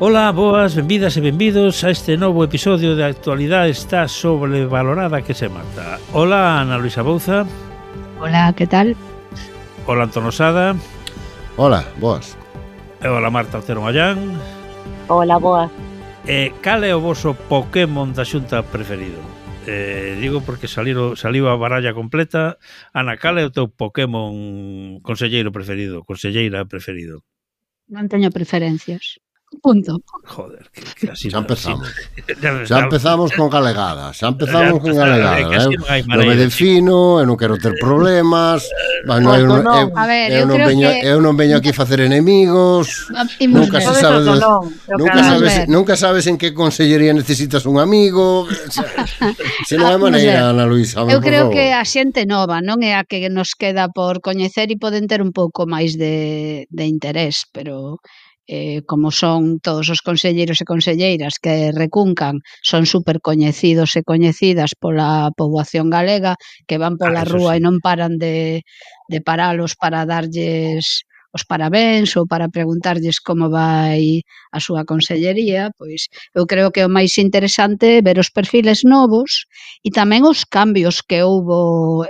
Ola, boas, benvidas e benvidos a este novo episodio de Actualidade está sobrevalorada que se mata. Ola, Ana Luisa Bouza. Hola, que tal? Ola, Antón Osada. Hola, boas. E hola, Marta Otero Mallán. Hola, boas. Cal é o voso Pokémon da Xunta preferido? Digo porque saliu a baralla completa. Ana, cal é o teu Pokémon conselleiro preferido, conselleira preferido? Non teño preferencias. Punto. Joder, que así Xa empezamos. Así, Xa empezamos con galegadas. Xa empezamos con galegadas. Non me defino, eu non quero ter problemas. Eu non veño aquí facer enemigos. Nunca sabes en que consellería necesitas un amigo. Se non é maneira, Ana Luisa. Eu creo que a xente nova non é a que nos queda por coñecer e poden ter un pouco máis de interés, pero como son todos os conselleiros e conselleiras que recuncan, son super coñecidos e coñecidas pola poboación galega, que van pola rúa e non paran de paralos para darlles os parabéns ou para preguntarlles como vai a súa consellería, pois eu creo que o máis interesante é ver os perfiles novos e tamén os cambios que houbo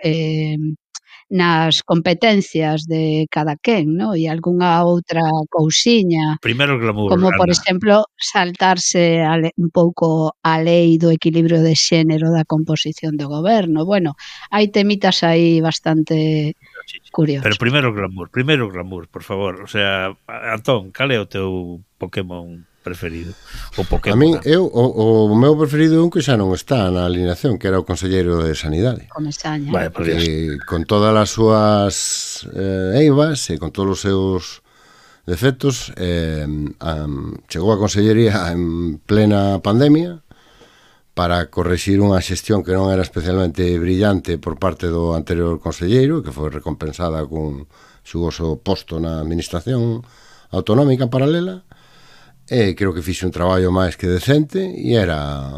nas competencias de cada quen, no? E algunha outra cousiña, primeiro glamour, como por Ana. exemplo saltarse un pouco a lei do equilibrio de xénero da composición do goberno. Bueno, hai temitas aí bastante curiosos. Pero primeiro glamour, por favor. O sea, Antón, cal é o teu Pokémon preferido? O Pokémon. A min, o meu preferido é un que xa non está na alineación, que era o conselleiro de Sanidade. Comesaña. Vale, Con todas as súas eivas e con todos os seus defectos, chegou a consellería en plena pandemia para correxir unha xestión que non era especialmente brillante por parte do anterior conselleiro, que foi recompensada cun xugoso posto na administración autonómica paralela. Creo que fixe un traballo máis que decente e era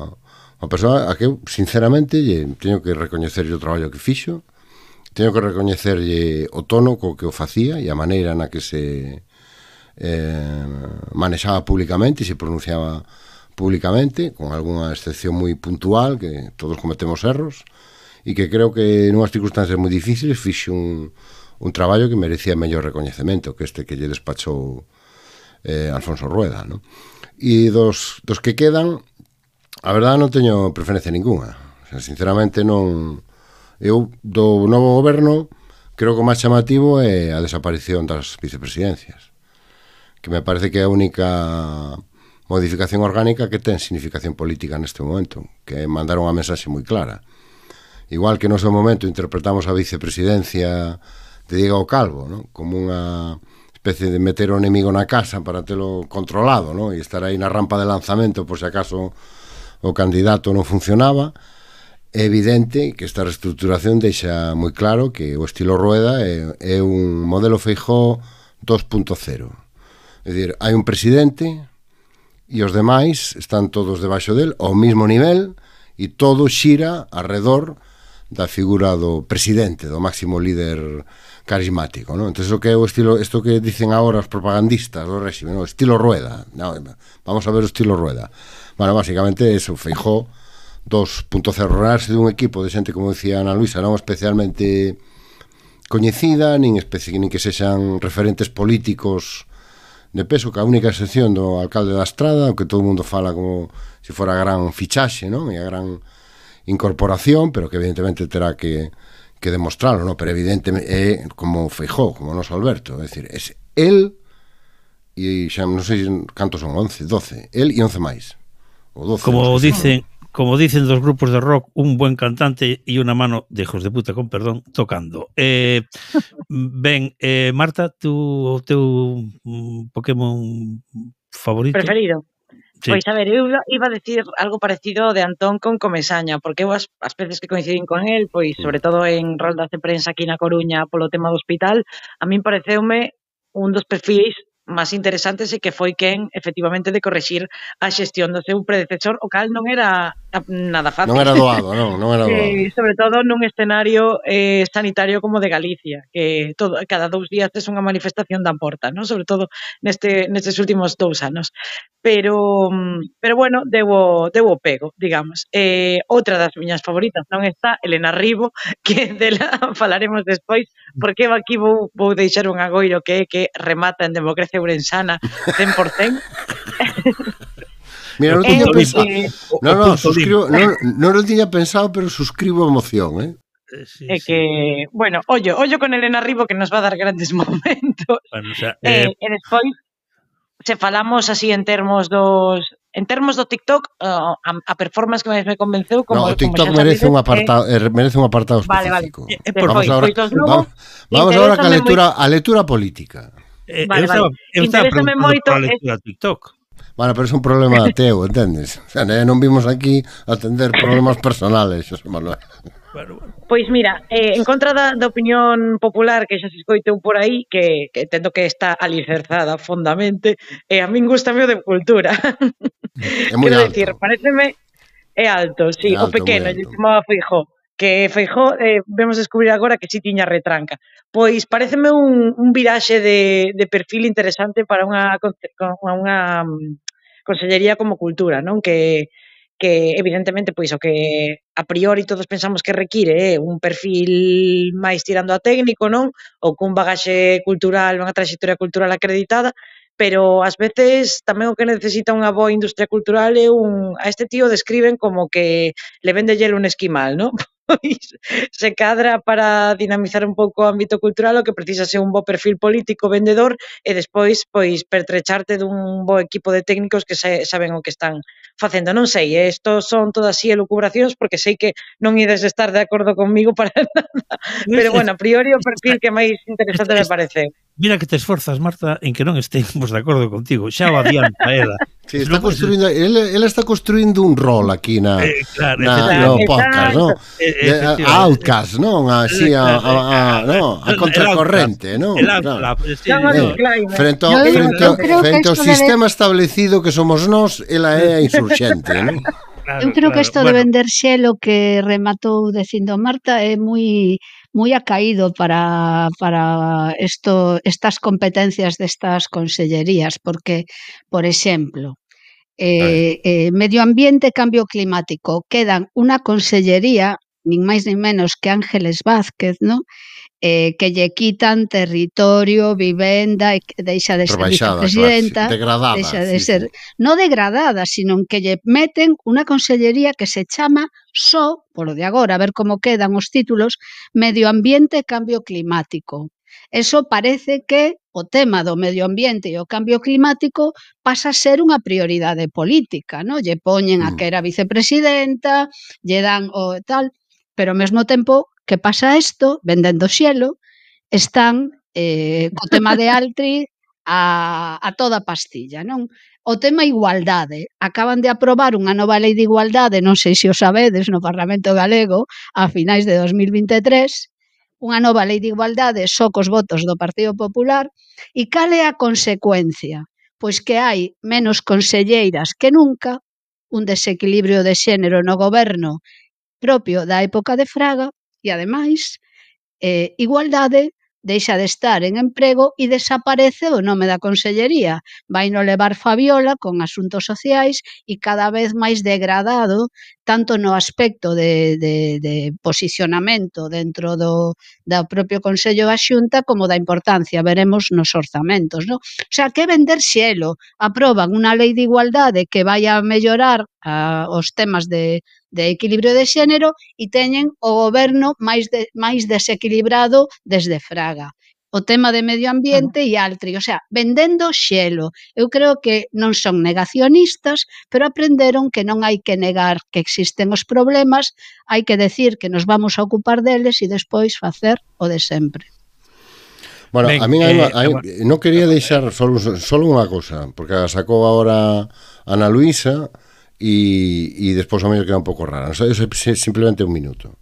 unha persoa a que eu, sinceramente, teño que recoñecerlle o traballo que fixo, teño que recoñecerlle o tono co que o facía e a maneira na que se manexaba públicamente e se pronunciaba públicamente, con algunha excepción moi puntual, que todos cometemos erros, e que creo que en unhas circunstancias moi difíciles fixe un traballo que merecía mellor recoñecemento que este que lle despachou Alfonso Rueda, ¿no? E dos que quedan, a verdade non teño preferencia ninguna. O sea, sinceramente non. Eu do novo goberno creo que o máis chamativo é a desaparición das vicepresidencias, que me parece que é a única modificación orgánica que ten significación política neste momento, que é mandar unha mensaxe moi clara. Igual que no seu momento interpretamos a vicepresidencia de Diego Calvo, ¿no? Como unha especie de meter o enemigo na casa para telo controlado, ¿no? E estar aí na rampa de lanzamento por se acaso o candidato non funcionaba. É evidente que esta reestructuración deixa moi claro que o estilo Rueda é un modelo Feijóo 2.0. É dicir, hai un presidente e os demais están todos debaixo del ao mesmo nivel e todo xira alrededor da figura do presidente, do máximo líder carismático, ¿no? Entonces, o que é o estilo, isto que dicen agora os propagandistas do réxime, ¿no? Estilo Rueda. No, vamos a ver o estilo Rueda. Bueno, básicamente eso, Feijóo 2.0, rodearse dun equipo de xente, como decía Ana Luisa, non especialmente coñecida, nin que sexan referentes políticos de peso, que a única excepción do alcalde da Estrada, o que todo o mundo fala como se fora a gran fichaxe, non? E a gran incorporación, pero que evidentemente terá que demostrarlo, ¿no? Pero evidentemente é como Feijóo, como noso Alberto, é dicir, é el e xa non sei cantos son, 11, 12, el e 11 máis. O 12. Como dicen dos grupos de rock, un buen cantante e unha mano de hijos de puta, con perdón, tocando. Ben, Marta, o teu Pokémon favorito? Preferido? Sí. Pois, a ver, eu iba a decir algo parecido de Antón con Comesaña, porque eu as veces que coincidín con el, pois, sobre todo en roldas de prensa aquí na Coruña polo tema do hospital, a min pareceume un dos perfis máis interesantes e que foi quen, efectivamente, de corrixir a xestión do seu predecesor, o cal non era nada fácil. Non era doado, non era doado. Sobre todo nun escenario sanitario como de Galicia, que cada 2 días tes unha manifestación da porta, non? Sobre todo nestes últimos 2 anos. Pero bueno, deu o pego, digamos. Outra das miñas favoritas non está, Elena Ribo, que dela falaremos despois, porque aquí vou deixar un agoiro que é que remata en democracia ourensana 100%. Mira, non tiña pensado. Non lo tiña pensado, pero suscribo a emoción, É que, bueno, ollo con Elena Ribo que nos va a dar grandes momentos. Bueno, o sea, e despois, se falamos así en termos do TikTok, a performance que máis me convenceu como o TikTok merece un apartado específico. Vamos agora a lectura política. Eu estaba preguntando por a lectura TikTok. Bueno, pero é un problema teu, entendes? O sea, non vimos aquí a atender problemas personales, Xosé Manuel. Bueno. Pois mira, en contra da opinión popular que xa se escoitou por aí, que entendo que está alicerzada fondamente, a min gustame o de cultura. É moi alto. Decir, pareceme alto, sí, o pequeno, lle chamaba Feijóo, que Feijóo vemos descubrir agora que si tiña retranca. Pois pareceme un viraxe de perfil interesante para unha consellería como cultura, non? Que evidentemente pois o que a priori todos pensamos que require é un perfil máis tirando a técnico, non? Ou cun bagaxe cultural, unha trayectoria cultural acreditada, pero ás veces tamén o que necesita unha boa industria cultural é a este tío describen como que le vende hielo un esquimal, non? Pois se cadra para dinamizar un pouco o ámbito cultural, o que precisa ser un bo perfil político vendedor e despois pois pertrecharte dun bo equipo de técnicos que saben o que están facendo. Non sei, isto son todas así elucubracións porque sei que non ides estar de acordo conmigo para nada, pero bueno, a priori o perfil que máis interesante me parece. Mira que te esforzas, Marta, en que non estemos de acordo contigo. Xa o adianta ela. Sí, ela está construindo un rol aquí no podcast, ¿no? Outcast, non? Así a contracorrente, non? Frente ao sistema establecido que somos nós, ela é a insurxente, non? Eu creo que isto de vender xelo que rematou dicindo Marta é moi acaído para estas competencias destas consellerías, porque, por exemplo, medio ambiente e cambio climático quedan unha consellería, nin máis nin menos que Ángeles Vázquez, ¿no? Que lle quitan territorio, vivenda e deixa de ser vicepresidenta, deixa de ser non degradada, sino que lle meten unha consellería que se chama só, polo de agora, a ver como quedan os títulos, Medio Ambiente e Cambio Climático. Eso parece que o tema do medio ambiente e o cambio climático pasa a ser unha prioridade política, non? Lle poñen a que era vicepresidenta, lle dan o tal, pero ao mesmo tempo que pasa isto, vendendo xelo, están co tema de Altri a toda pastilla, non? O tema igualdade. Acaban de aprobar unha nova lei de igualdade, non sei se o sabedes, no Parlamento Galego, a finais de 2023, unha nova lei de igualdade só cos votos do Partido Popular, e cal é a consecuencia? Pois que hai menos conselleiras que nunca, un desequilibrio de xénero no goberno propio da época de Fraga, e, ademais, igualdade deixa de estar en emprego e desaparece o nome da consellería. Vai no levar Fabiola con asuntos sociais e cada vez máis degradado, tanto no aspecto de posicionamento dentro do propio Consello da Xunta como da importancia, veremos, nos orzamentos, non? O sea, que vender xelo. Aproban unha lei de igualdade que vai a mellorar os temas de equilibrio de xénero e teñen o goberno máis desequilibrado desde Fraga. O tema de medio ambiente e Altri, o sea, vendendo xelo. Eu creo que non son negacionistas, pero aprenderon que non hai que negar que existen os problemas, hai que decir que nos vamos a ocupar deles e despois facer o de sempre. Bueno, a mí non quería deixar solo unha cosa, porque sacou agora Ana Luisa e despois a mí queda un pouco rara. Simplemente un minuto.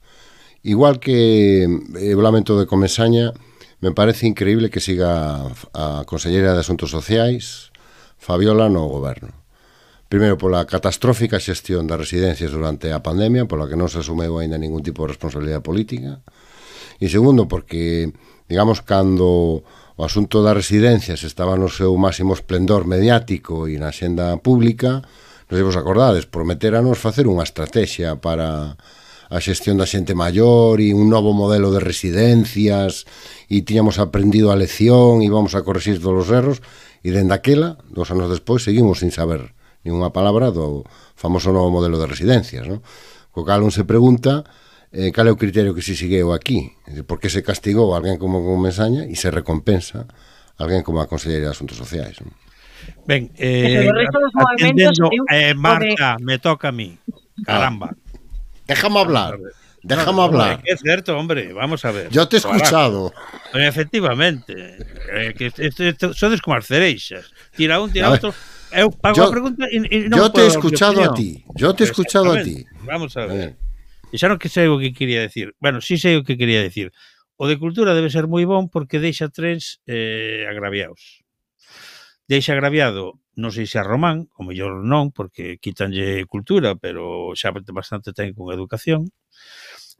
Igual que o lamento de Comesaña, me parece increíble que siga a Conselleira de Asuntos Sociais, Fabiola, no goberno. Primeiro, pola catastrófica xestión das residencias durante a pandemia, pola que non se asumeu ainda ningún tipo de responsabilidade política. E segundo, porque, digamos, cando o asunto das residencias estaba no seu máximo esplendor mediático e na xenda pública, non sei vos acordades, prometéranos facer unha estrategia para a xestión da xente maior e un novo modelo de residencias e tiñamos aprendido a lección e íbamos a corregir todos os erros e dende aquela, 2 anos despois, seguimos sin saber ninguna palabra do famoso novo modelo de residencias, non? Co cal un se pregunta cal é o criterio que se segueu aquí, por que se castigou a alguén como Mesaña e se recompensa a alguén como a Conselleira de Asuntos Sociais, non? Ben, o resto dos movementos, Marta, me toca a mí. Caramba. Déjame hablar. Déjame hablar. Es cierto, hombre, vamos a ver. Yo te he escuchado. Efectivamente. Sodes como as cereixas. Tira un, tira outro. Eu pago a pregunta e non yo te he escuchado a ti. Yo te he escuchado a ti. Vamos a ver. E xa non que sei o que quería decir. Bueno, sí sei o que quería decir. O de cultura debe ser moi bon porque deixa trens agraviados. Deixa agraviado, non sei se a Román, o mellor non, porque quitanlle cultura, pero xa bastante ten con educación.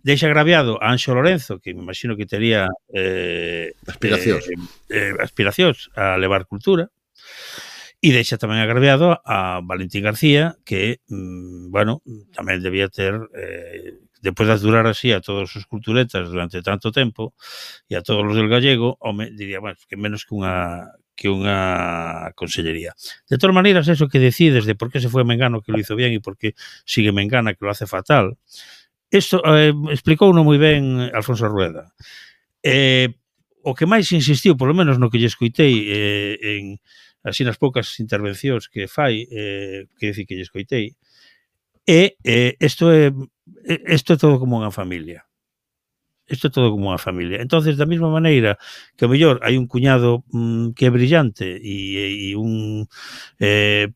Deixa agraviado a Anxo Lorenzo, que me imagino que tería aspiracións a levar cultura. E deixa tamén agraviado a Valentín García, que, bueno, tamén debía ter, despois de durar así a todos os culturetas durante tanto tempo, e a todos os del gallego, home, diría, bueno, que menos que unha consellería. De todas maneiras, eso que decides de por qué se foi Mengano que lo hizo bien e por qué sigue Mengana que lo hace fatal, isto explicou moi ben Alfonso Rueda. O que máis insistiu, polo menos no que lle escoitei en así nas poucas intervencións que fai, que dicir que lle escoitei, isto é todo como unha familia. Isto é todo como unha familia. Entonces, da mesma maneira que ao mellor hai un cuñado que é brillante e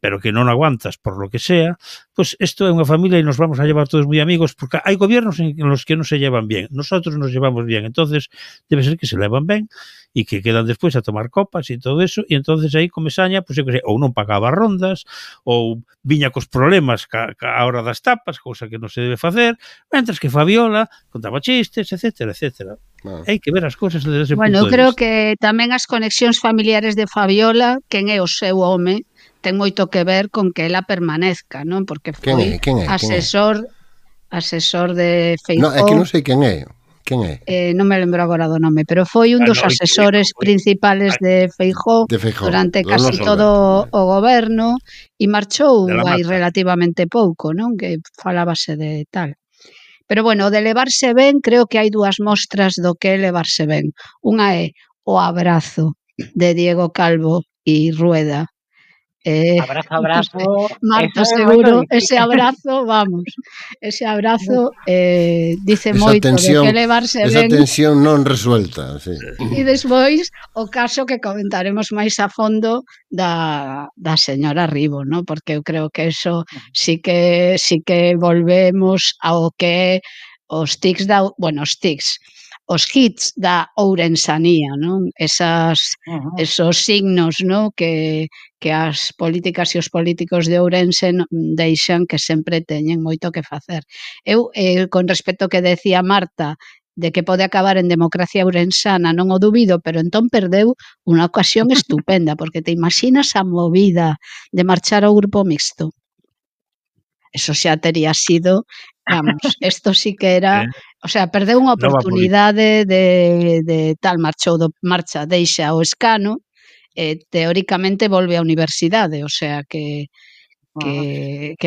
pero que non aguantas por lo que sea, pues isto é unha familia e nos vamos a llevar todos moi amigos porque hai gobiernos en los que non se llevan bien. Nosotros nos llevamos bien. Entonces, debe ser que se levan ben e que quedan despois a tomar copas e todo eso, e entonces aí Comesaña, pues, eu que sei, ou non pagaba rondas, ou viña cos problemas ca hora das tapas, cousa que non se debe facer, mentras que Fabiola contaba chistes, etcétera, etcétera. Hai que ver as cousas desde ese punto de vista. Bueno, eu creo que tamén as conexións familiares de Fabiola, quen é o seu home, ten moito que ver con que ela permanezca, non? Porque foi asesor de Feijóo. No, é que non sei quen é. Quen é? Non me lembro agora do nome, pero foi un dos asesores principales de Feijóo durante casi todo o goberno e marchou hai relativamente pouco, non? Que falábase de tal. Pero bueno, o de levarse ben, creo que hai dúas mostras do que é levarse ben. Unha é o abrazo de Diego Calvo e Rueda. Abrazo. Marta, seguro, ese abrazo, vamos, ese abrazo dice moito de que levarse ben. Esa tensión non resuelta, sí. E despois, o caso que comentaremos máis a fondo da señora Ribo, ¿no? Porque eu creo que eso sí que volvemos ao que os tics os hits da ourensanía, non? Esos signos, non? Que as políticas e os políticos de Ourense deixan que sempre teñen moito que facer. Eu, con respecto ao que decía Marta, de que pode acabar en democracia ourensana, non o dubido, pero entón perdeu unha ocasión estupenda, porque te imaginas a movida de marchar ao grupo mixto. Eso xa tería sido, vamos, isto sí que era, o sea, perdeu unha oportunidade de tal, marcha, deixa o escano, teóricamente volve á universidade, o sea que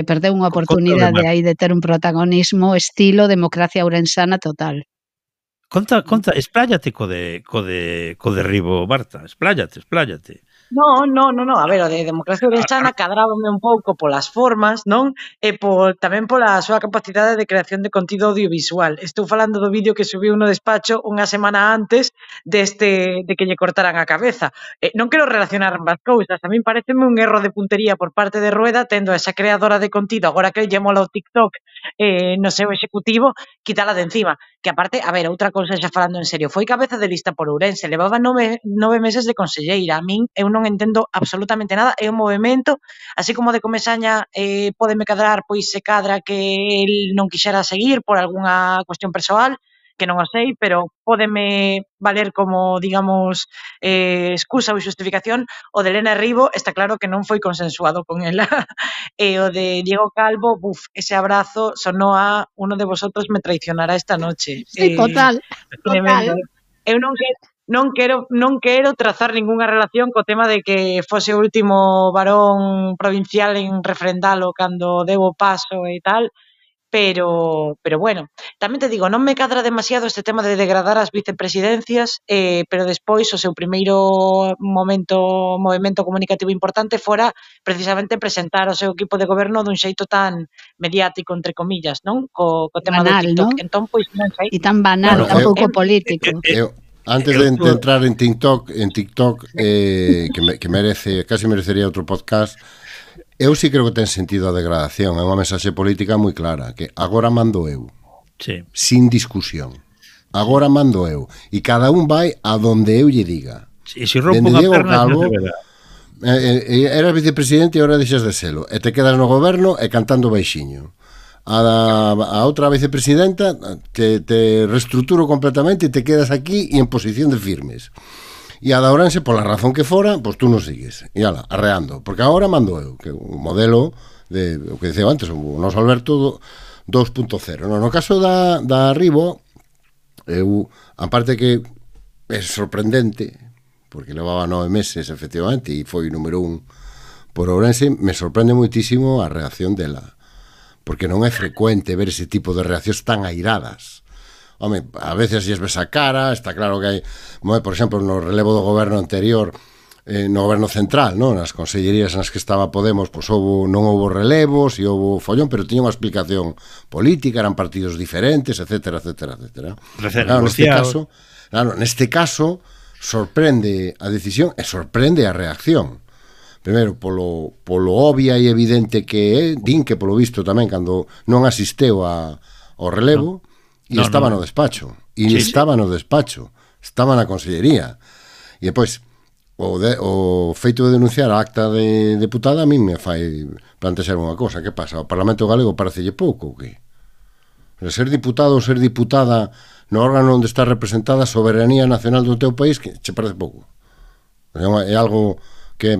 perdeu unha oportunidade aí de ter un protagonismo estilo democracia ourensana total. Conta, expláyate co derribo, Marta, expláyate. No, a ver, o de democracia ourensana cadrábame un pouco polas formas, non? E tamén pola súa capacidade de creación de contido audiovisual. Estou falando do vídeo que subiu no despacho unha semana antes de que lle cortaran a cabeza. Non quero relacionar ambas cousas, a min pareceme un erro de puntería por parte de Rueda, tendo a esa creadora de contido, agora que lle mola o TikTok no seu executivo, quitala de encima. que aparte, a ver, outra cousa xa falando en serio, foi cabeza de lista por Ourense, levaba 9 meses de conselleira, a min eu non entendo absolutamente nada, é un movimento, así como de Comesaña pódeme cadrar, pois se cadra que el non quixera seguir por algunha cuestión persoal, que non o sei, pero pódeme valer como, digamos, excusa ou xustificación. O de Elena Ribo está claro que non foi consensuado con ela. E o de Diego Calvo, ese abrazo sonó a uno de vosotros me traicionará esta noche. Sí, total. Tremendo. Eu non quero trazar ningunha relación co tema de que fose o último varón provincial en refrendalo cando deu o paso e tal, pero bueno, tamén te digo, non me cadra demasiado este tema de degradar as vicepresidencias, pero despois o seu primeiro movimento comunicativo importante fora precisamente presentar o seu equipo de goberno dun xeito tan mediático, entre comillas, non? Co tema banal, do TikTok. ¿no? Entón, pois non sei. E tan banal, tan pouco político. Antes de entrar en TikTok, que merece, casi merecería outro podcast. Eu sí creo que ten sentido a degradación. É unha mensaxe política moi clara, que agora mando eu. Sí. Sin discusión. Agora mando eu. E cada un vai a donde eu lle diga. E se rompo unha perna, Calvo, eras vicepresidente e agora deixas de selo. E te quedas no goberno e cantando baixiño. A outra vicepresidenta te reestruturo completamente e te quedas aquí e en posición de firmes. E a da Ourense, pola razón que fora, pois tú non sigues. E ala, arreando. Porque agora mando eu, que o modelo de o que diceu antes, o noso Alberto 2.0. No caso da Ribo, eu, aparte que é sorprendente, porque levaba 9 meses, efectivamente, e foi número 1 por Ourense, me sorprende moitísimo a reacción dela. Porque non é frecuente ver ese tipo de reaccións tan airadas. Home, a veces lles ves a cara, está claro que hai, por exemplo, no relevo do goberno anterior, no goberno central, non? Nas consellerías nas que estaba Podemos, pois non houbo relevos e houbo follón, pero tiña unha explicación política, eran partidos diferentes, etcétera, etcétera, etcétera. Neste caso, sorprende a decisión e sorprende a reacción. Primeiro, polo obvia e evidente que é, din que polo visto tamén cando non asisteu ao relevo, e estaba no despacho. E estaba no despacho. Estaba na consellería. E depois, o feito de denunciar a acta de deputada a mí me fai plantexar unha cosa. Que pasa? O Parlamento Galego parecelle pouco ou que? Ser diputado ou ser diputada no órgano onde está representada a soberanía nacional do teu país, que che parece pouco. É algo que é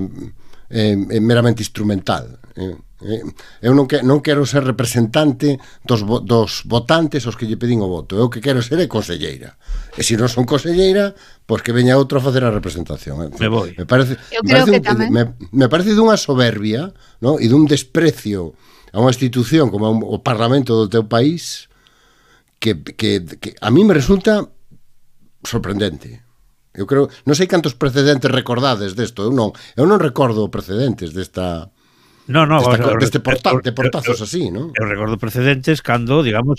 meramente instrumental. Eu non quero ser representante dos votantes aos que lle pedín o voto. Eu que quero ser é conselleira. E se non son conselleira, pois que veña outro a facer a representación. Me parece dunha soberbia, ¿no? E dun desprecio a unha institución como o Parlamento do teu país que a mí me resulta sorprendente. Eu creo, non sei cantos precedentes recordades desto. Eu non recordo precedentes desta deste portazos así, non? Eu recordo precedentes cando, digamos,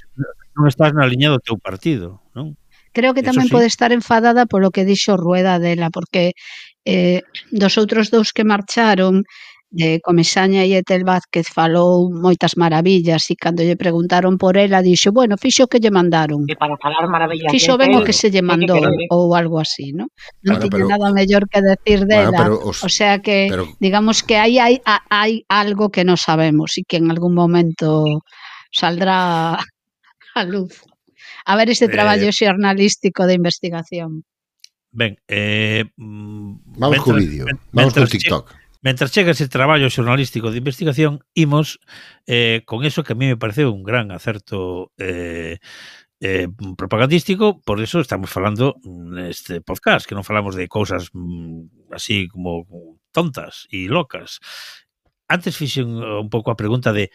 non estás na liña do teu partido, non? Creo que tamén pode estar enfadada polo que dixo Rueda dela, porque dos outros dous que marcharon, de Comesaña e Etel Vázquez, falou moitas maravillas, e cando lle preguntaron por ela, dixo, bueno, fixo o que lle mandaron. E para falar maravillas. Fixo ben o que se lle mandou, ou algo así, non? Non tiña nada mellor que decir dela. O sea que, digamos que hai algo que non sabemos e que en algún momento saldrá a luz. A ver este traballo xornalístico de investigación. Ben, vamos co vídeo, vamos co TikTok. Mentras chega ese traballo xornalístico de investigación, imos con eso que a mí me pareceu un gran acerto propagandístico, por eso estamos falando neste podcast, que non falamos de cousas así como tontas e locas. Antes fixen un pouco a pregunta de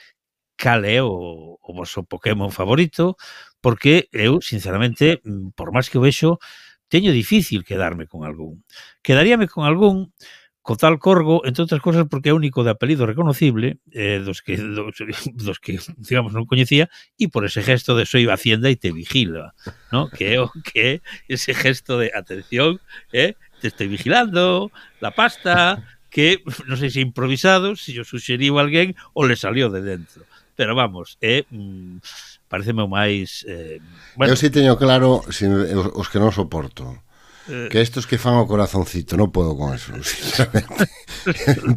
cal é o vosso Pokémon favorito, porque eu, sinceramente, por máis que o vexo, teño difícil quedarme con algún. Quedaríame con algún co tal Corgo, entre outras cosas, porque é o único de apelido reconocible dos que, digamos, non coñecía, e por ese gesto de soy Hacienda e te vigila, ¿no? Que é ese gesto de atención, te estoy vigilando, la pasta, que non sei se improvisado, se yo suxeriu a alguén ou le salió de dentro. Pero vamos, pareceme o máis... Eu si teño claro, os que non soporto, que estos que fan o corazoncito, non podo con eso, sinceramente.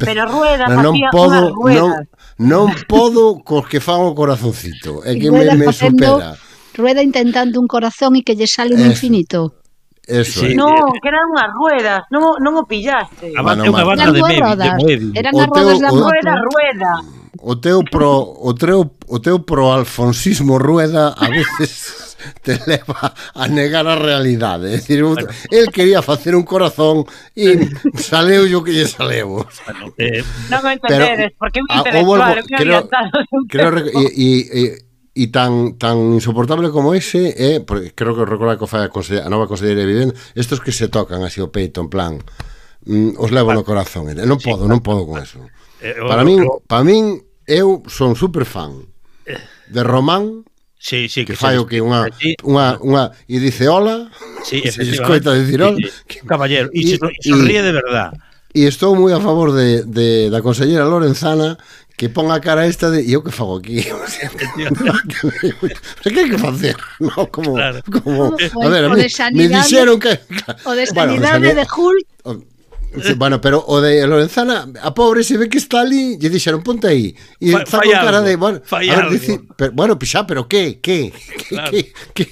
Pero Rueda non facía podo, unhas ruedas. non podo cos que fan o corazoncito, é que Rueda me facendo- supera. Rueda intentando un corazón e que lle sale un Eso. infinito. Eso Sí. é. No, que eran unhas ruedas, non o pillaste. É Bueno, unha Marta. banda de Eran rodas, Moebius. eran O as rodas teu- da o- moto. Rueda. O teu pro-alfonsismo Rueda a veces te leva a negar a realidade. É dicir, el quería facer un corazón e saleu yo que lle saleu. Bueno, Non o entendedes, porque un intelectual, un orientado. E tan insoportable como ese é, porque creo que recorda que fai a nova conselleira de Vivenda, estos que se tocan así o peito en plan os levo no corazón. Non podo con eso. Para min eu son super fan de Román, sí, que fai o que unha e dice hola, sí, se escoita dicir hola, caballero, e sonríe de verdad. E estou moi a favor da consellera Lorenzana, que pon a cara esta de eu que fago aquí. O sea, que hai que facer? No, como, Claro. a ver, O de me dixeron que O de Bueno, sanidade de Hulk, sí, bueno, pero o de Lorenzana, a pobre se ve que está ali, lle dixeron ponte aí. E está Fai con cara algo, de, bueno, fai a ver, algo. pero, bueno, xa, pero que Claro.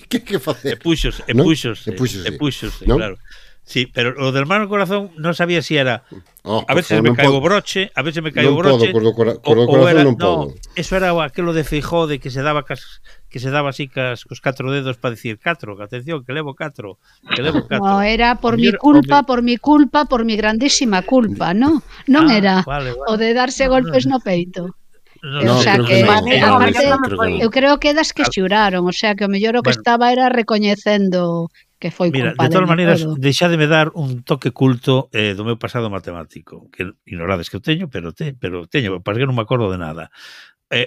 que facer? E ¿No? puxose, ¿no? claro. Sí, pero lo del mano corazón non sabía si era Oh, a veces me caigo broche, a veces me caigo broche. Cos do corazón non podo. Eso era aquilo de Feijó de que se daba así cos 4 dedos para decir 4, atención, que levo 4, que levo 4. no, era por mi culpa, por mi grandísima culpa, ¿no? Non era vale. o de darse golpes no peito. No, o sea creo que, que no. aparte, Creo que no. eu creo que das que xuraron, o sea que o mellor o que Bueno. estaba era recoñecendo que foi Mira, culpa de todas maneiras, todo. deixademe dar un toque culto do meu pasado matemático, que ignorades que eu teño, pero teño, para que non me acordo de nada.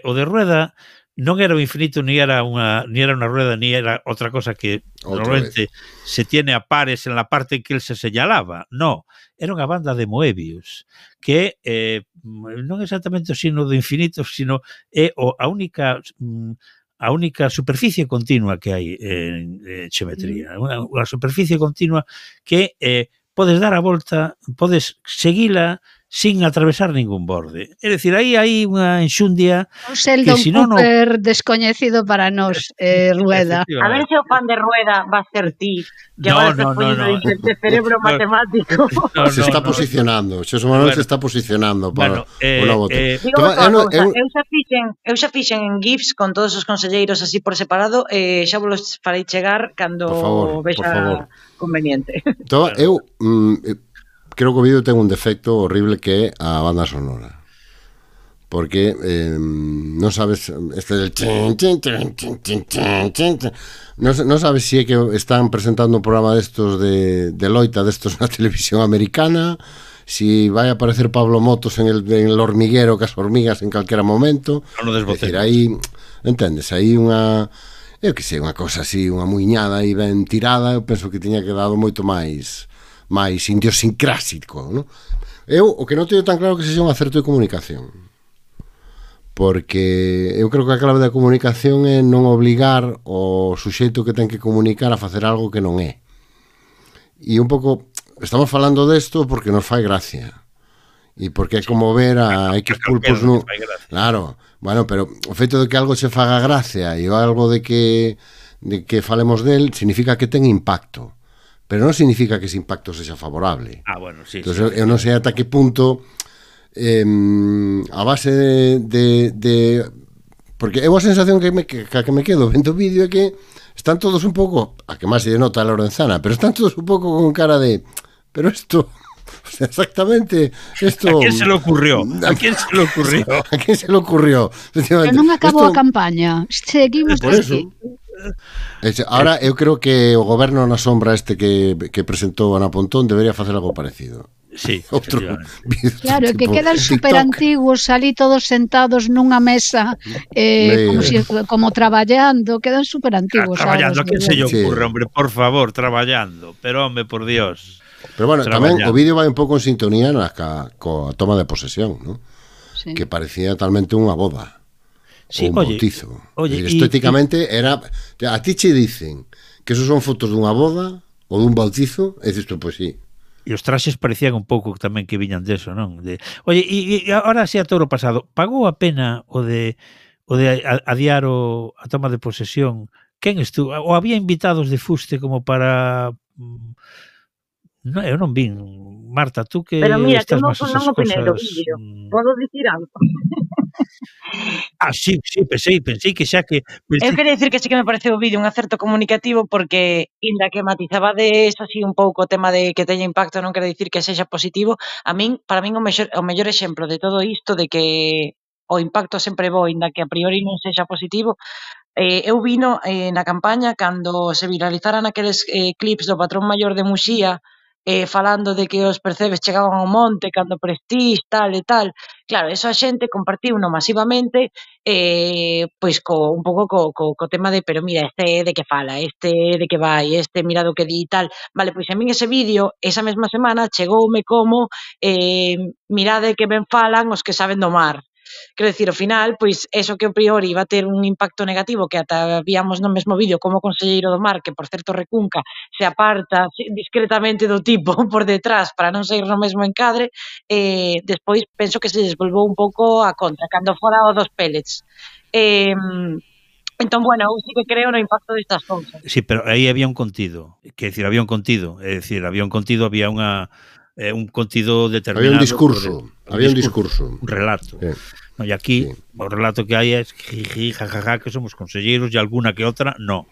O de Rueda non era o infinito, ni era unha rueda, ni era outra cosa que normalmente se tiene a pares en la parte en que él se señalaba. No, era unha banda de Moebius, que non exactamente o signo do infinito, sino é a única superficie continua que hai en xeometría, unha superficie continua que podes dar a volta, podes seguila sin atravesar ningún borde. É dicir, aí hai unha enxundia Un Sheldon si non, Cooper descoñecido para nós, Rueda. A ver se o fan de Rueda va a ser ti, que No, agora estás poniendo de cerebro matemático. Se está posicionando, Xosé Manuel se está posicionando para o novo tempo. Digo outra cousa, eu xa fixen en GIFs con todos os conselleiros así por separado, xa vos los farei chegar cando vexa conveniente. Entón, eu creo que o vídeo ten un defecto horrible que é a banda sonora. Porque non sabes este del non sabes se é que están presentando un programa destos de loita destos na televisión americana, si vai a aparecer Pablo Motos en el hormiguero que as hormigas en calquera momento. Non o desbotemos. É dicir, aí, entendes, aí unha eu que sei, unha cosa así, unha muiñada aí ben tirada, eu penso que tiña quedado moito máis idiosincrásico, ¿no? Eu o que non teño tan claro que sexa un acerto de comunicación, porque eu creo que a clave da comunicación é non obligar o suxeito que ten que comunicar a facer algo que non é. E un pouco estamos falando desto porque nos fai gracia e porque é como ver a X pulpos no... Claro, bueno, pero o feito de que algo se faga gracia e algo de que falemos del significa que ten impacto, pero non significa que ese impacto sexa favorable. Bueno, sí. Entón, eu non sei ata que punto a base de porque eu a sensación que me quedo vendo o vídeo é que están todos un pouco, a que máis se nota a Lorenzana, pero están todos un pouco con cara de pero esto, o sea, exactamente esto... ¿A quién se le ocurrió? ¿A quién se le ocurrió? ¿A quién se le ocurrió? Pero non acabou a campaña, seguimos por eso. Ahora eu creo que o goberno na sombra este que presentou Ana Pontón debería facer algo parecido. Sí, outro claro, que quedan super antiguos ali todos sentados nunha mesa como traballando, quedan super antiguos. Traballando, a quen se lle ocurre, hombre, por favor, traballando, pero home, por Dios. Pero bueno, tamén o vídeo vai un pouco en sintonía coa toma de posesión, ¿no? Sí. Que parecía talmente unha boda. Sí, ou un bautizo. Oye, Estéticamente era... A ti che dicen que esos son fotos dunha boda ou dun bautizo, e dices tú, pois sí. E os traxes parecían un pouco tamén que viñan deso, non? Oye, e agora así a touro pasado, pagou a pena o de adiar a toma de posesión? Quen estuvo? Ou había invitados de fuste como para... Non, eu non vin. Marta, tú que Pero mira, que estás non, máis non esas opinei do cosas... vídeo. Podo dicir algo? Sí, pensei que xa que... Eu queria dicir que sí que me pareceu o vídeo un acerto comunicativo porque, inda que matizabades así un pouco o tema de que teña impacto, non quere dicir que sexa positivo, para min o mellor exemplo de todo isto de que o impacto sempre é bo, inda que a priori non sexa positivo, eu vino na campaña cando se viralizaran aqueles clips do patrón maior de Muxía falando de que os percebes chegaban ao monte cando Prestige, tal e tal. Claro, eso a xente compartiuno masivamente pois un pouco co tema de pero mira, este de que fala, este de que vai, este mira do que di e tal. Vale, pois a min ese vídeo, esa mesma semana, chegoume como mirade que ben falan os que saben do mar. Quero dicir, ao final, pois, eso que a priori iba a ter un impacto negativo, que ata víamos no mesmo vídeo como o conselleiro do mar, que por certo recunca, se aparta discretamente do tipo por detrás para non sair no mesmo encadre, despois penso que se desvolvou un pouco a contra, cando fora o dos pellets. Entón, bueno, eu sí que creo no impacto destas cousas. Sí, pero aí había un contido, que decir, había un contido, había un contido determinado. Había un discurso. Un relato. Sí. No, e aquí, o relato que hai é jiji, jajaja, que somos conselleiros e alguna que outra, no.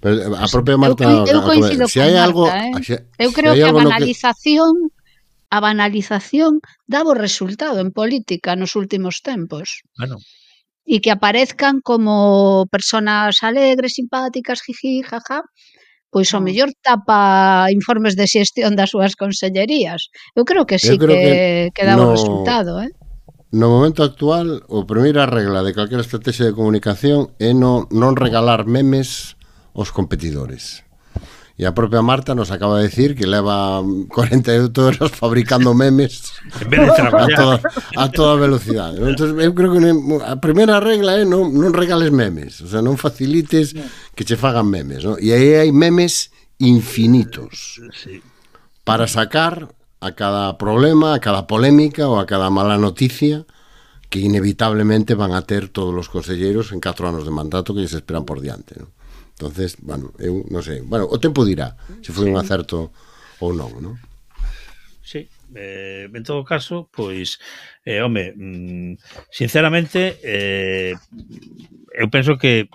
Pero a propia Marta... Eu coincido con Marta, eu creo que a banalización daba o resultado en política nos últimos tempos. Bueno. E que aparezcan como personas alegres, simpáticas, jiji, jaja, pois o mellor tapa informes de xestión das súas consellerías. Eu creo que sí que daba o resultado, No momento actual, a primeira regla de calquera estrategia de comunicación é non regalar memes aos competidores. E a propia Marta nos acaba de decir que leva 48 horas fabricando memes en vez de traballar a toda velocidade. Entón, eu creo que a primeira regla é non regales memes, o sea, non facilites que che fagan memes, ¿no? E aí hai memes infinitos para sacar a cada problema, a cada polémica ou a cada mala noticia que inevitablemente van a ter todos os conselleiros en 4 anos de mandato que lles esperan por diante, ¿no? Entonces, bueno, eu non sei, bueno, o tempo dirá se foi un acerto ou non, ¿no? Sí, en todo caso, pois, home, sinceramente, eu penso que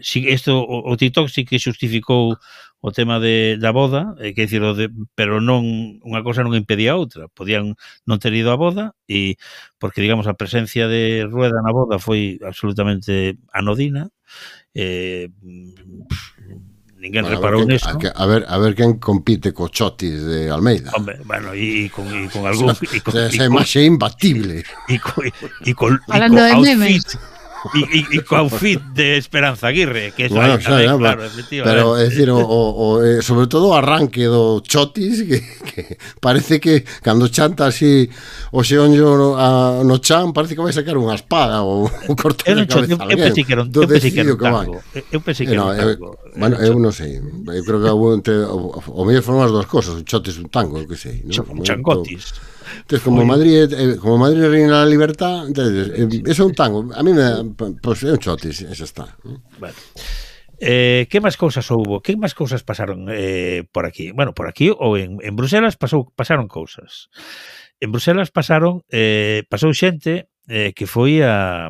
si isto, o TikTok sí que xustificou o tema da boda, que dicir, pero non unha cosa non impedía a outra. Podían non ter ido á boda e porque, digamos, a presencia de Rueda na boda foi absolutamente anodina. Ninguén reparou neso. A ver quen compite co Chotis de Almeida. Hombre, bueno, e con algún... Esa imaxe imbatible. E con outfit... E co outfit de Esperanza Aguirre, que eso bueno, tamén, claro, efectivamente. Pero, é dicir, sobre todo o arranque do Chotis, que parece que cando chanta así o xeonllo no chan, parece que vai sacar unha espada ou cortar a cabeza a alguén. Eu pensei que era un tango. Eu pensei que era un tango. Bueno, eu non sei. Eu creo que o mellor foron as dúas cosas. O Chotis un tango, eu que sei. Changotis. Entonces, como Madrid reina la libertad, entonces, eso é un tango. A mí pues, é un Chotis, eso está. Bueno. Que máis cousas houbo? Que máis cousas pasaron por aquí? Bueno, por aquí ou en Bruselas pasaron cousas. En Bruselas pasou xente que foi a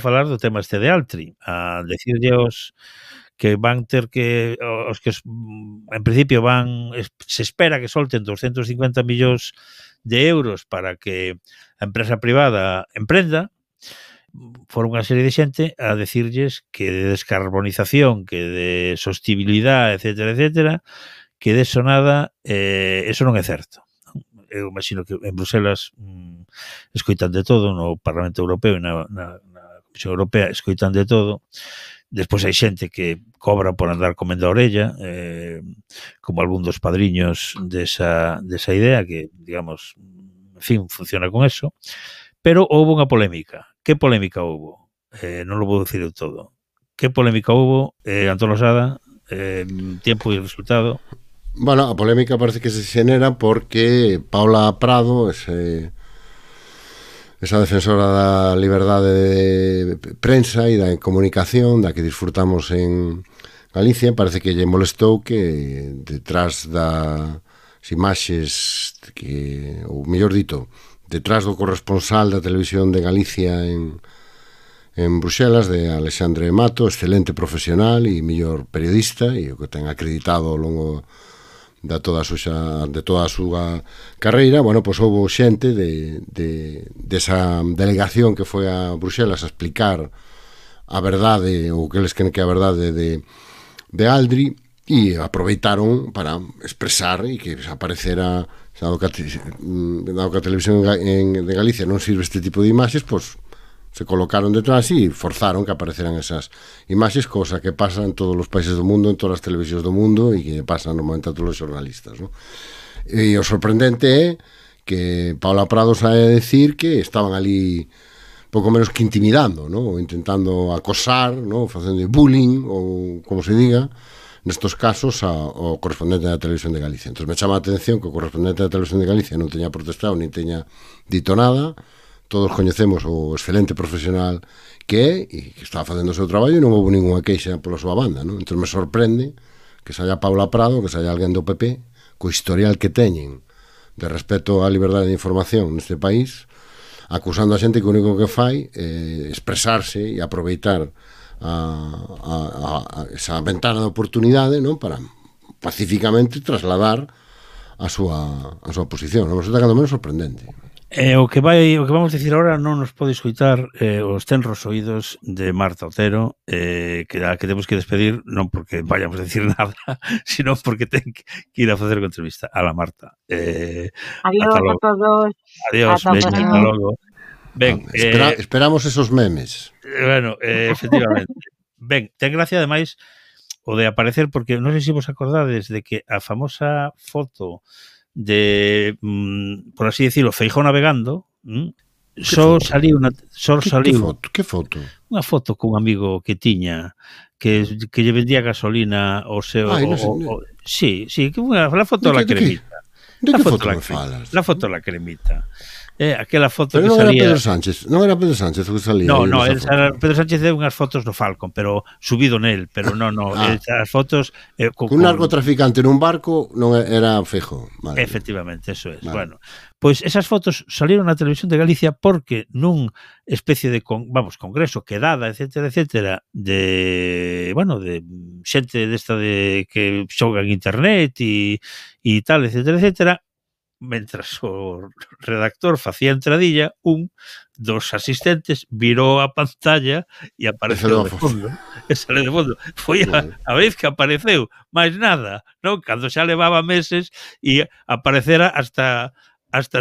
falar do tema este de Altri, a decirlle que van ter que os que en principio se espera que solten 250 millóns de euros para que a empresa privada emprenda. Foron unha serie de xente a decirlles que de descarbonización, que de sostibilidade, etcétera, etcétera, que de eso nada, eso non é certo. Eu imagino que en Bruselas escoitan de todo, no Parlamento Europeo e na Comisión Europea escoitan de todo. Despois hai xente que cobra por andar comendo a orella, como algún dos padriños desa idea, que, digamos, en fin, funciona con eso. Pero houve unha polémica. Que polémica houve? non lo vou decir eu todo. Que polémica hubo, Antón Losada, tiempo e resultado? Bueno, a polémica parece que se xenera porque Paula Prado, esa defensora da liberdade de prensa e da comunicación da que disfrutamos en Galicia, parece que lle molestou que detrás das imaxes que, ou mellor dito, detrás do corresponsal da televisión de Galicia en Bruxelas, de Alexandre Mato, excelente profesional e mellor periodista, e o que ten acreditado ao longo de toda a súa carreira, bueno, pois houve xente desa delegación que foi a Bruxelas a explicar a verdade, ou que eles creen que é a verdade de Aldri, e aproveitaron para expresar e que aparecera, dado que a televisión de Galicia non sirve este tipo de imaxes, pois se colocaron detrás e forzaron que apareceran esas imaxes, cosa que pasa en todos os países do mundo, en todas as televisións do mundo e que pasa normalmente a todos os xornalistas, ¿no? E o sorprendente é que Paula Prado sae a decir que estaban ali pouco menos que intimidando, ¿no? Ou intentando acosar, ¿no? Facendo bullying, ou como se diga, nestos casos ao correspondente da Televisión de Galicia. Entón me chama a atención que o correspondente da Televisión de Galicia non teña protestado, nin teña dito nada. Todos coñecemos o excelente profesional que é e que está facendo o seu traballo e non houve ninguna queixa pola súa banda, non? Entón me sorprende que saia Paula Prado, que saia alguén do PP, co historial que teñen de respeto á liberdade de información neste país, acusando a xente que o único que fai é expresarse e aproveitar esa ventana de oportunidade, non? Para pacificamente trasladar a súa posición. Non? Resulta cando menos sorprendente. O que vamos dicir agora non nos pode escoitar os tenros oídos de Marta Otero, que temos que despedir, non porque vayamos a decir nada, sino porque ten que ir a facer a entrevista a la Marta. Adiós a todos. Adiós, hasta logo. Ben, esperamos esos memes. Bueno, efectivamente. Ben, ten gracia ademais o de aparecer, porque non sei se vos acordades de que a famosa foto de, por así decirlo, Feijóo navegando, só saliu que foto? Unha foto cun amigo que tiña que lle vendía gasolina ao seu sí, que a foto da cremita. De que foto me falas? La foto da cremita. Aquela foto pero que salía... non era Pedro Sánchez o que salía. No, Pedro Sánchez deu unhas fotos do Falcon, pero subido nel, pero non, as fotos... Un narcotraficante nun barco non era Feijóo. Vale. Efectivamente, eso é. Vale. Bueno, pois esas fotos salieron na Televisión de Galicia porque nun especie de, congreso, quedada, etcétera, de xente desta de que xoga en internet e tal, etcétera, mentras o redactor facía entradilla, un dos asistentes virou a pantalla e apareceu de fondo. E sale de fondo. Foi a vez que apareceu, máis nada, non? Cando xa levaba meses e aparecera hasta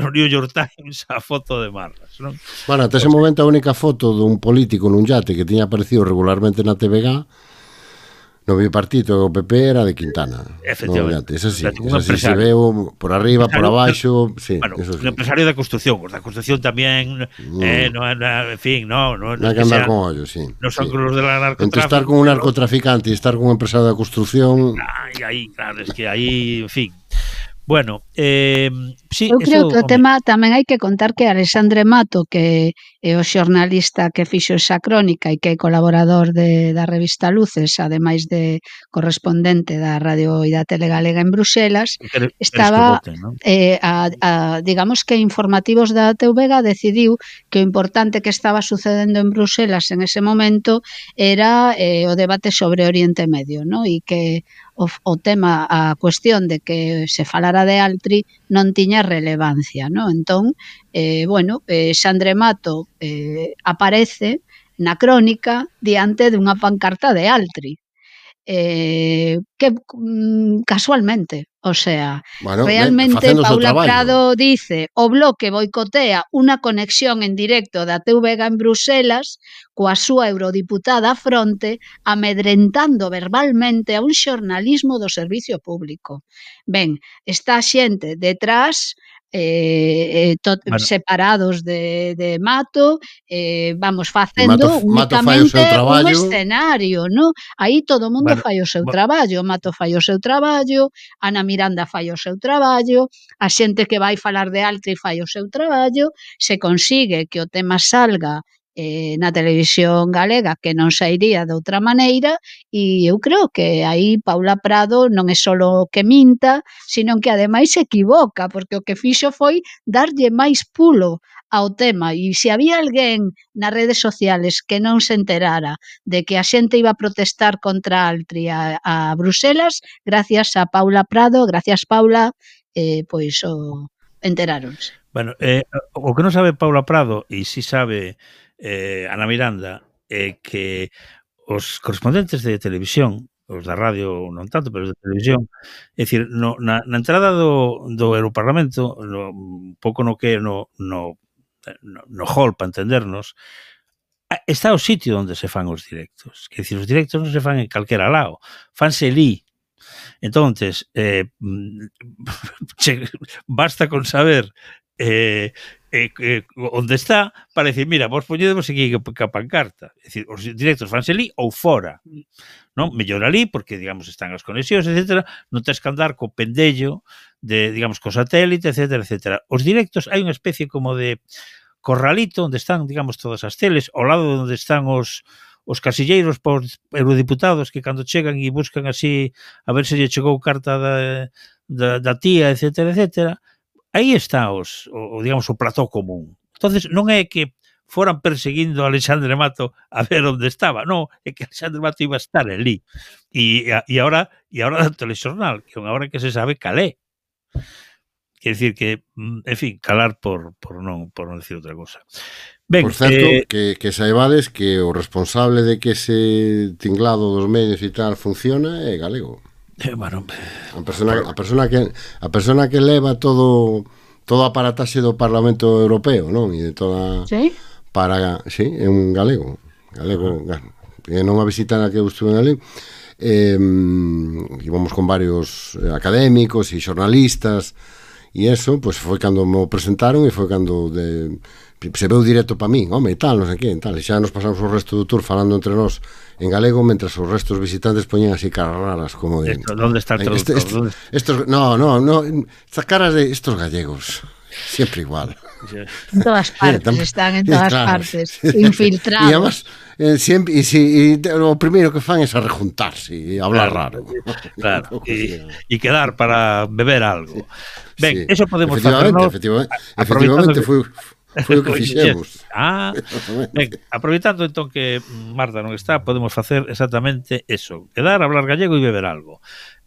no New York Times a foto de Marras, non? Bueno, ata ese momento a única foto dun político nun yate que tiña aparecido regularmente na TVG no bipartito do PP era de Quintana. Efectivamente. Esa sí se veo por arriba, por abaixo, sí. Bueno, un empresario da construcción. Os da construcción tamén, en fin, non hai que andar con ollo, sí. Non son los de la narcotráfico. Entre estar con un narcotraficante e estar con un empresario da construción... Claro, es que aí, en fin... Bueno, sí, eu creo que o tema tamén hai que contar que Alexandre Mato, que é o xornalista que fixo esa crónica e que é colaborador da revista Luces, ademais de correspondente da Radio e da Tele Galega en Bruxelas, estaba, digamos que informativos da TVG decidiu que o importante que estaba sucedendo en Bruxelas en ese momento era o debate sobre Oriente Medio, ¿no? E que o tema, a cuestión de que se falara de Altri non tiña relevancia, ¿no? Entón, Xandre Mato aparece na crónica diante dunha pancarta de Altri, que que casualmente, o sea, Bueno, realmente facendo o seu Paula traballo. Prado dice o Bloque boicotea unha conexión en directo da TVG en Bruselas coa súa eurodiputada á fronte, amedrentando verbalmente a un xornalismo do servicio público. Ben, está a xente detrás, Bueno, separados de Mato, vamos E facendo Mato fai o únicamente seu un traballo. escenario, non? Aí todo o mundo bueno, fai o seu traballo, Mato fai o seu traballo, Ana Miranda fai o seu traballo, a xente que vai falar de Altri fai o seu traballo, se consigue que o tema salga na televisión galega, que non sairía de outra maneira, e eu creo que aí Paula Prado non é solo que minta, sino que ademais se equivoca, porque o que fixo foi darlle máis pulo ao tema, e se había alguén nas redes sociales que non se enterara de que a xente iba a protestar contra Altri a Bruselas, gracias a Paula Prado, gracias Paula, pois enteráronse. bueno, o que non sabe Paula Prado, e si sabe Ana Miranda, é que os correspondentes de televisión, os da radio non tanto, pero os de televisión, é dicir, na entrada do Europarlamento, un pouco no que no hall, para entendernos, está o sitio onde se fan os directos. Quer dicir, os directos non se fan en calquera lado, fanse ali. Entonces, basta con saber onde está para decir, mira, vos poñedemos aquí que a pancarta. É dicir, os directos fanse ali ou fora. Non? Mellor ali, porque, digamos, están as conexións, etc. Non tens que andar co pendello de, digamos, co satélite, etc, etc. Os directos, hai unha especie como de corralito onde están, digamos, todas as teles, ao lado onde están os casilleiros por eurodiputados que cando chegan e buscan así a ver se lle chegou carta da tía, etc, etc. Aí está digamos, o plató común. Entonces, non é que foran perseguindo a Alexandre Mato a ver onde estaba, non, é que Alexandre Mato iba a estar ali. E ahora do telexornal, que é unha hora que se sabe calé. Quer dicir que, en fin, calar por non decir outra cosa. Ben, por certo, que saibades que o responsable de que ese tinglado dos medios e tal funciona é galego. Bueno, a persona que leva todo a aparataxe do Parlamento Europeo, non? E de toda Sí? sí, é un galego, e non a visita na que eu estuve ali. Íbamos con varios académicos e xornalistas e eso, pois foi cando me presentaron e foi cando se veu directo para min, home, e tal, non sei que, tal, e xa nos pasamos o resto do tour falando entre nós en galego, mentras os restos visitantes poñían así caras raras, como de... ¿Dónde está el traductor? No, estas caras de estos gallegos, siempre igual. En todas partes, están en todas partes, infiltrados. E además, siempre, o primeiro que fan é a rejuntarse e hablar raro. Claro, e quedar para beber algo. Ben, eso podemos facernos... Efectivamente, foi o que fixemos. Ben, aproveitando entón que Marta non está, podemos facer exactamente eso, quedar, hablar gallego e beber algo.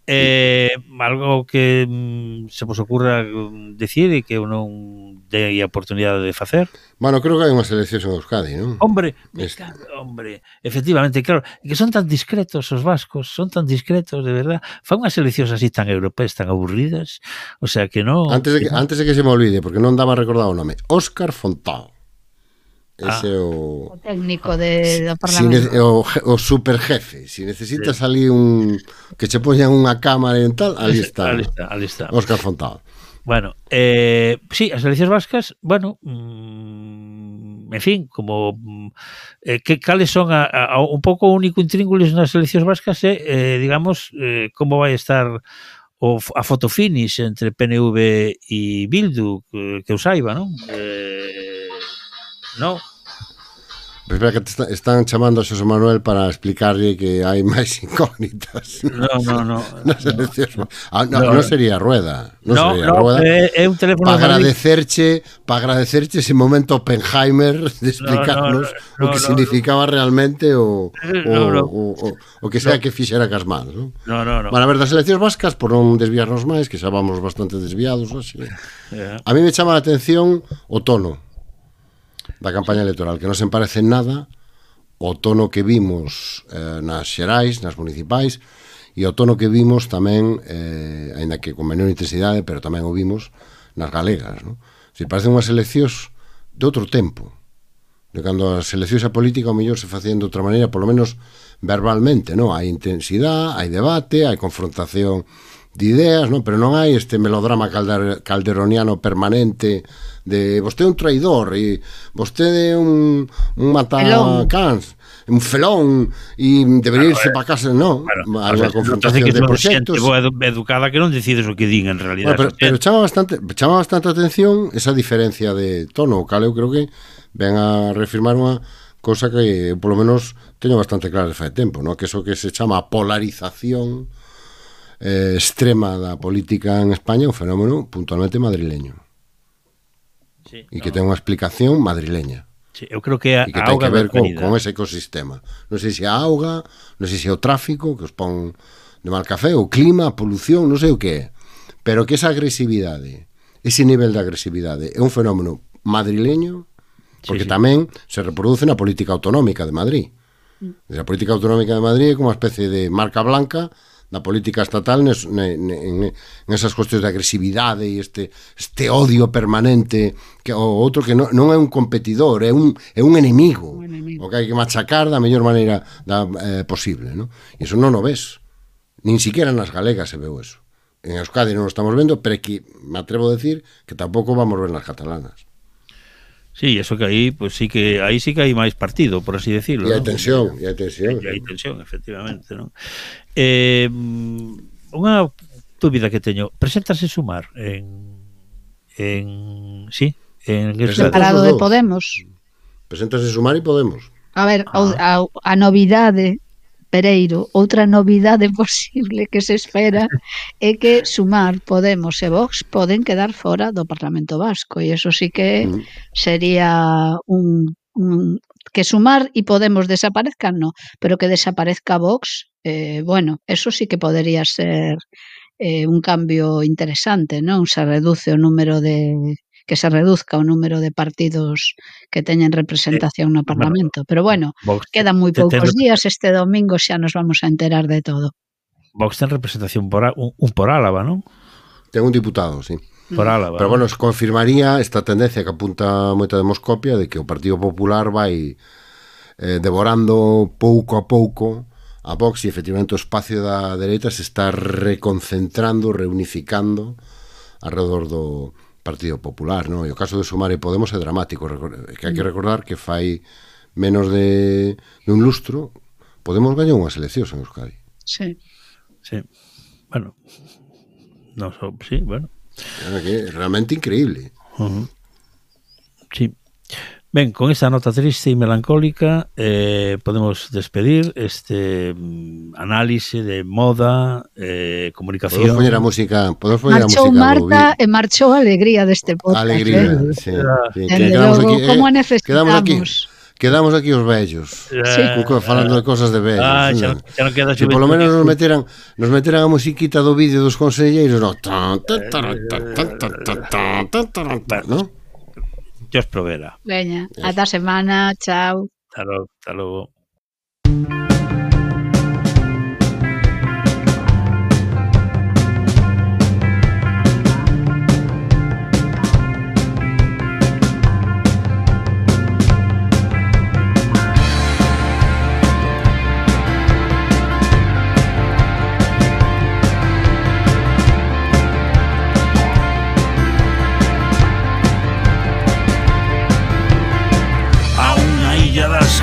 Algo que se vos ocurra decir e que eu non dei a oportunidade de facer? Bueno, creo que hai unhas eleccións en Euskadi, non? Hombre, efectivamente, claro, que son tan discretos os vascos, son tan discretos, de verdad. Fan unhas eleccións así tan europeas, tan aburridas, o sea que non... Antes de que se me olvide, porque non daba recordado o nome, Óscar Fontao. Ese é o técnico do Parlamento. O superjefe. Si necesitas ali que che poñan unha cámara e tal, ali está. Óscar Fontao. Bueno, sí, as eleccións vascas, bueno, en fin, como cales son un pouco o único intríngulis nas eleccións vascas digamos, como vai estar a fotofinish entre PNV e Bildu, que eu saiba, non? No. Pero espera, que están chamando a Xosé Manuel para explicarlle que hai máis incógnitas. No. Non sería Rueda. Non sería Rueda. É un teléfono para agradecerche ese momento Oppenheimer de explicarnos o que significaba realmente o que sea que fixera cas mans, non? No. Bueno, a ver, das eleccións vascas, por non desviarnos máis, que xa vamos bastante desviados hoxe. A mí me chama a atención o tono da campaña electoral, que non se parece en nada o tono que vimos nas xerais, nas municipais, E o tono que vimos tamén, aínda que con menor intensidade, pero tamén o vimos nas galegas, non? Se parecen unhas eleccións de outro tempo, de cando as eleccións a política ao mellor se facían de outra maneira, polo menos verbalmente, non? Hai intensidade, hai debate, hai confrontación de ideas, non? Pero non hai este melodrama calderoniano permanente de vostede é un traidor e vostede é un matacans, un felón e debería irse para casa, non? Hai unha confrontación de proxectos. Boa educada que non decides o que din en realidad. Pero chama bastante atención esa diferencia de tono, o cal eu creo que ven a reafirmar unha cosa que polo menos teño bastante clara de fai tempo, non? Que eso que se chama polarización extrema da política en España é un fenómeno puntualmente madrileño. Sí, e que ten unha explicación madrileña. Sí, eu creo que a que ten que ver con ese ecosistema. Non sei se a auga, non sei se o tráfico que os pon de mal café, o clima, a polución, non sei o que é. Pero que esa agresividade, ese nivel de agresividade é un fenómeno madrileño, porque tamén se reproduce na política autonómica de Madrid. A política autonómica de Madrid é como unha especie de marca blanca da política estatal en esas cuestións de agresividade e este odio permanente, que o outro que non é un competidor, é un enemigo, o que hai que machacar da mellor maneira posible, non? E iso non o ves, nin siquiera nas galegas se veu eso. En Euskadi non o estamos vendo, pero que me atrevo a decir que tampouco vamos ver nas catalanas. Sí, eso que aí, pues sí que aí sí que hai máis partido, por así decirlo. E hai tensión, e hai tensión. E hai tensión, efectivamente, non? Unha dúbida que teño, preséntase Sumar separado de Podemos. Preséntase Sumar e Podemos. A ver, a novidade, Pereiro, outra novidade posible que se espera é que Sumar, Podemos e Vox poden quedar fora do Parlamento Vasco, e eso sí que sería que Sumar e Podemos desaparezcan, no, pero que desaparezca Vox, bueno, eso sí que podería ser un cambio interesante, non? Se reduzca o número de partidos que teñen representación no Parlamento. Pero bueno, quedan moi poucos días, este domingo xa nos vamos a enterar de todo. Vox ten representación por Álava, non? Ten un diputado, sí. Por Álava. Pero bueno, se confirmaría esta tendencia que apunta moita Demoscopia de que o Partido Popular vai devorando pouco a pouco a Vox e efectivamente o espacio da dereita se está reconcentrando, reunificando alrededor do Partido Popular, non? E o caso de Sumar e Podemos é dramático, que hai que recordar que fai menos de un lustro Podemos gañou unhas eleccións en Euskadi. Sí. Sí. Bueno. Sí, bueno. É realmente increíble. Sí. Ben, con esta nota triste e melancólica podemos despedir este análise de moda, comunicación. Podemos poñer a música. Marchou Marta e marchou a alegría deste podcast. Alegría, sí. Como necesitamos. Quedamos aquí os vellos, falando de cosas de vellos. Xa non queda se polo menos nos meteran a musiquita do vídeo dos conselleiros, non? Dios provera. Veña, ata a semana, chao. Hasta logo.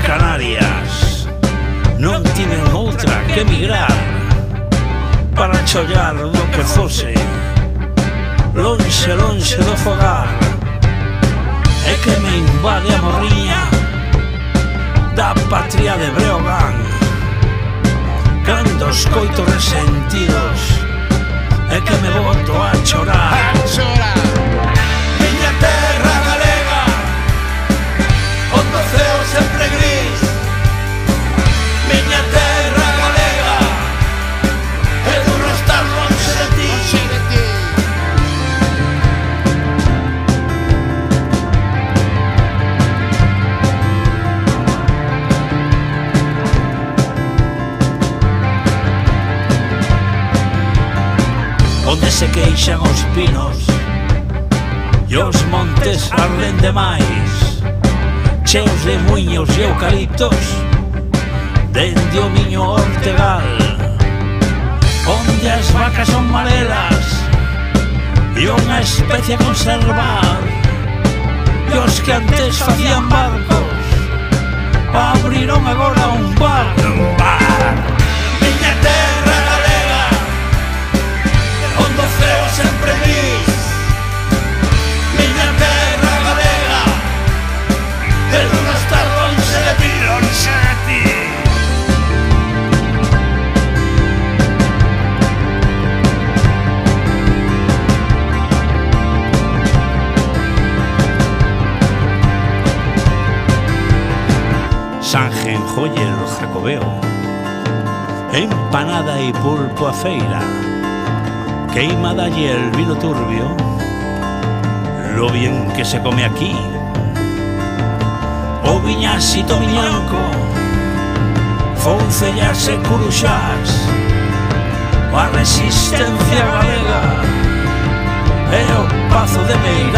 Canarias non tiven outra que emigrar para chollar do que fose lonxe do fogar, e que me invade a morriña da patria de Breogán cando escoito resentidos e que me boto a chorar. Miña terra galega onde o ceo sempre gris, miña terra galega é duro estar lonxe de ti. queixan os pinos e os montes arden demais, cheos de muiños e eucaliptos dende o miño Ortegal, onde as vacas son marelas e unha especie a conservar, e os que antes facían barcos abriron agora un bar. Miña terra galega, onde o ceo sempre gris, miña terra galega, pero non estar lonxe de ti, lonxe de ti. Sanjen, joyer, jacobeo, empanada y pulpo a feira, queimada y el vino turbio, lo bien que se come aquí, o viñasito miñanco, foncellas e curuxás, a resistencia galega, e o pazo de Meira.